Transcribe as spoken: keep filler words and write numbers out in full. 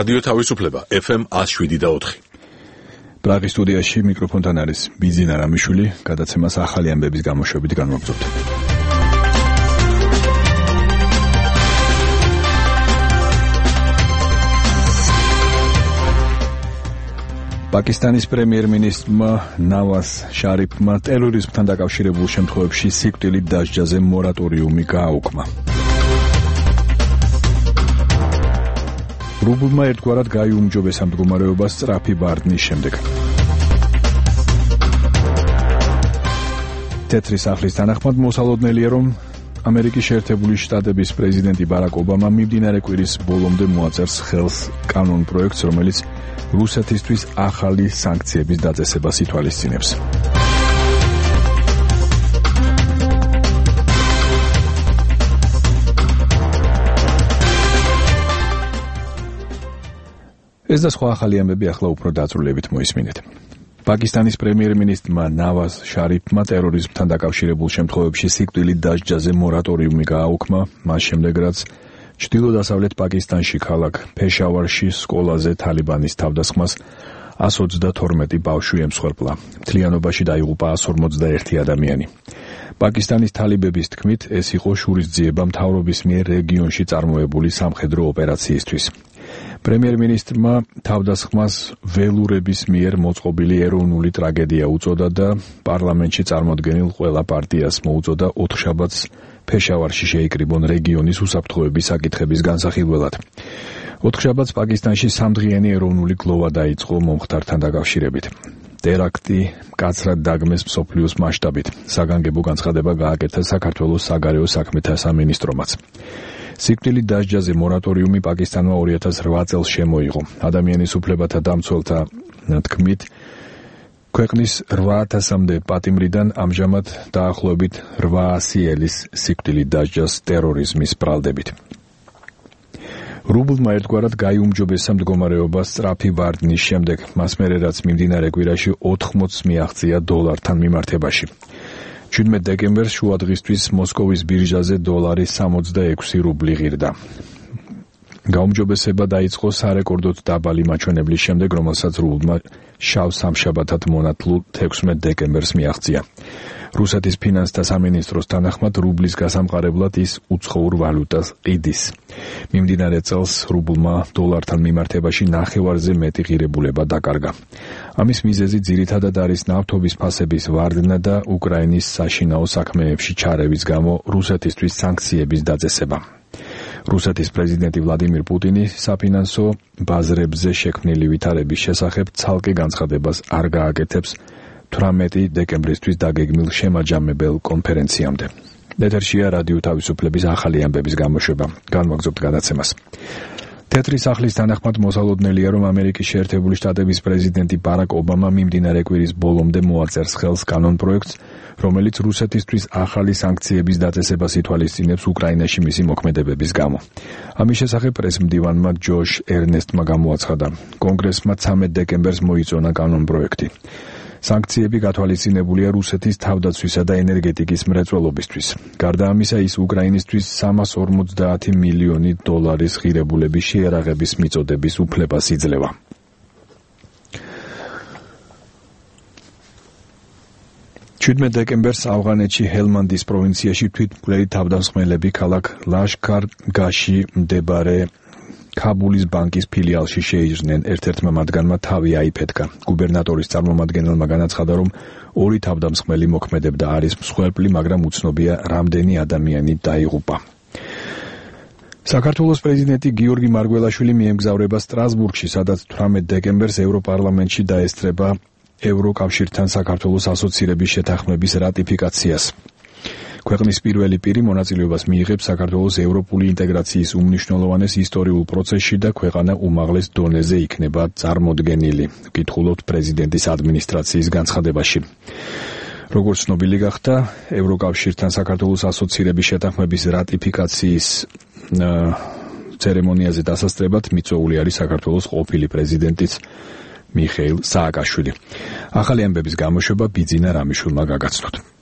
რადიო თავისუფლება ეფ ემ one oh seven და four. პრაღის სტუდიაში მიკროფონთან არის ბიძინა რამიშვილი, გადაცემას ახალი ამბების გამოშვებით განვაგრძობთ. პაკისტანის პრემიერ-მინისტრმა ნავაზ შარიფმა ტერორიზმთან დაკავშირებულ შემთხვევებში სიკვდილით დასჯაზე მორატორიუმი გააუქმა. რუბლმა ერთგვარად გაიუმჯობესა მდგომარეობა სწრაფი ბარდნის შემდეგ. თეთრი სახლის თანახმად მოსალოდნელია, რომ ამერიკის შეერთებული შტატების პრეზიდენტი ბარაკ ობამა მიმდინარე კვირის ბოლომდე მოაწერს ხელს კანონ პროექტს, რომელიც რუსეთისთვის ახალი სანქციების დაწესებას ითვალისწინებს. ეს და სხვა ახალი ამბები ახლა უფრო დაწვრილებით მოისმინეთ. პაკისტანის პრემიერ-მინისტრმა ნავაზ შარიფმა ტერორიზმთან დაკავშირებულ შემთხვევებში სიკვდილით დასჯაზე მორატორიუმი გააუქმა, მას შემდეგ რაც ჩრდილო-დასავლეთ პაკისტანში ქალაქ ფეშავარში სკოლაზე თალიბანის თავდასხმას one hundred twenty-two ბავშვი ემსხვერპლა. მთლიანობაში დაიღუპა one hundred forty-one ადამიანი. პაკისტანის თალიბების თქმით, ეს იყო შურისძიება მთავრობის მიერ რეგიონში წარმოებული სამხედრო ოპერაციისთვის. პრემიერ-მინისტრმა თავდასხმას ველურების მიერ მოწყობილი ეროვნული ტრაგედია უწოდა და პარლამენტში წარმოდგენილ ყველა პარტიას მოუწოდა ოთხშაბათს ფეშავარში შეიკრიბონ რეგიონის უსაფრთხოების საკითხების განსახილველად. ოთხშაბათს პაკისტანში სამდღიანი ეროვნული გლოვა დაიწყო მომხდართან დაკავშირებით. ტერაქტი მკაცრად დაგმეს მსოფლიოს მასშტაბით. საგანგებო განცხადება გააკეთა საქართველოს საგარეო საქმეთა სამინისტრომაც. სიკვდილით დასჯაზე მორატორიუმი პაკისტანმა two thousand eight წელს შემოიღო. ადამიანის უფლებათა დამცველთა თქმით, ქვეყნის eight ათასამდე პატიმრიდან ამჟამად დაახლოებით eight hundred ელის სიკვდილით დასჯას ტერორიზმის ბრალდებით. რუბლმა ერთგვარად გაიუმჯობესა მდგომარეობა სწრაფი ბარდნის შემდეგ, მას მერე რაც მიმდინარე კვირაში ოთხმოცს მიაღწია დოლართან მიმართებაში. seventeen დეკემბერს შუადღისთვის მოსკოვის ბირჟაზე დოლარი sixty-six რუბლი ღირდა. გაუმჯობესება დაიწყო სარეკორდოდ დაბალი მაჩვენებლის შემდეგ, რომელსაც რუბლმა შავ სამშაბათად მონათლულ sixteen დეკემბერს მიაღწია. რუსეთის ფინანსთა სამინისტროს თანახმად, რუბლის გასამყარებლად ის უცხოურ ვალუტას ყიდის. მიმდინარე წელს რუბლმა დოლართან მიმართებაში ნახევარზე მეტი ღირებულება დაკარგა. ამის მიზეზი ძირითადად არის ნავთობის ფასების ვარდნა და უკრაინის საშინაო საქმეებში ჩარევის გამო რუსეთისთვის სანქციების დაწესება. რუსეთის პრეზიდენტი ვლადიმირ პუტინი საფინანსო ბაზრებზე შექმნილი ვითარების შესახებ ცალკე განცხადებას არ გააკეთებს eighteen დეკემბრისთვის დაგეგმილ შემაჯამებელ კონფერენციამდე. ეთერშია რადიო თავისუფლების ახალი ამბების გამოშვება. განვაგრძობთ გადაცემას. თეთრი სახლის თანახმად მოსალოდნელია, რომ ამერიკის შეერთებული შტატების პრეზიდენტი ბარაკ ობამა მიმდინარე კვირის ბოლომდე მოაწერს ხელს კანონ პროექტს, რომელიც რუსეთისთვის ახალი სანქციების დაწესებას ითვალისწინებს უკრაინაში მისი მოქმედებების გამო. ამის შესახებ პრესმდივანმა ჯოშ ერნესტმა გამოაცხადა. კონგრესმა thirteen დეკემბერს მოიწონა კანონ პროექტი. სანქციები გათვალისწინებულია რუსეთის თავდაცვისა და ენერგეტიკის მრეწველობისთვის. გარდა ამისა, ის უკრაინისთვის three hundred forty მილიონი დოლარის ღირებულების შეერაღების მიწოდების უფლებას იძლევა. seventeen დეკემბერს ავღანეთში ჰელმანდის პროვინციაში თვითმკვლელი თავდამსხმელები ქალაქ ლაშქარ-გაში მდებარე ქაბულის ბანკის ფილიალში შეიჭრნენ. ერთ-ერთმა მათგანმა თავი აიფეთქა. გუბერნატორის წარმომადგენელმა განაცხადა, რომ ორი თავდამსხმელი მოქმედებდა არის მსხვერპლი, მაგრამ უცნობია რამდენი ადამიანი დაიღუპა. საქართველოს პრეზიდენტი გიორგი მარგველაშვილი მიემგზავრება სტრასბურგში, სადაც eighteen დეკემბერს ევროპარლამენტში დაესწრება ევროკავშირთან საქართველოს ასოცირების შეთანხმების რატიფიკაციას. ქვეყნის პირველი პირი მონაწილეობას მიიღებს საქართველოს ევროპული ინტეგრაციის უმნიშვნელოვანეს ისტორიულ პროცესში და ქვეყანა უმაღლეს დონეზე იქნება წარმოდგენილი, ვკითხულობთ პრეზიდენტის ადმინისტრაციის განცხადებაში. როგორც ცნობილი გახდა, ევროკავშირთან საქართველოს ასოცირების შეთანხმების რატიფიკაციის ცერემონიაზე დასასწრებად მიწვეული არის საქართველოს ყოფილი პრეზიდენტიც მიხეილ სააკაშვილი. ახალი ამბების გამოშვება ბიძინა რამიშვილმა გაგაცნოთ.